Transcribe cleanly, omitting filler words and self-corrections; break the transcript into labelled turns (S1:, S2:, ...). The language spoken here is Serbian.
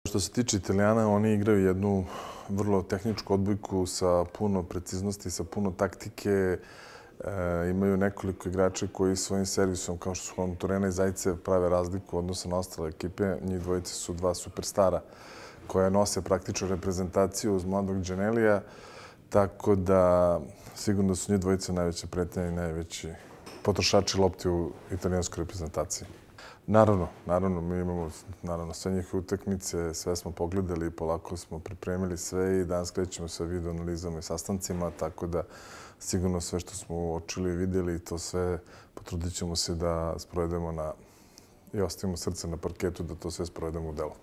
S1: Što se tiče Italijana, oni igraju jednu vrlo tehničku odbojku sa puno preciznosti, sa puno taktike. Imaju nekoliko igrača koji svojim servisom, kao što su Juan Torreira i Zajcev, prave razliku u odnosu na ostale ekipe. Njih dvojice su dva superstara koja nose praktično reprezentaciju uz mladog Giannellija. Tako da sigurno su njih dvojice najveće pretnje i najveći potrošači lopti u italijanskoj reprezentaciji. Naravno, mi imamo sve njihove utakmice, sve smo pogledali, polako smo pripremili sve i danas krećemo sa video analizama i sastancima, tako da sigurno sve što smo uočili i vidjeli, to sve potrudit ćemo se da sprovedemo i ostavimo srce na parketu da to sve sprovedemo u delo.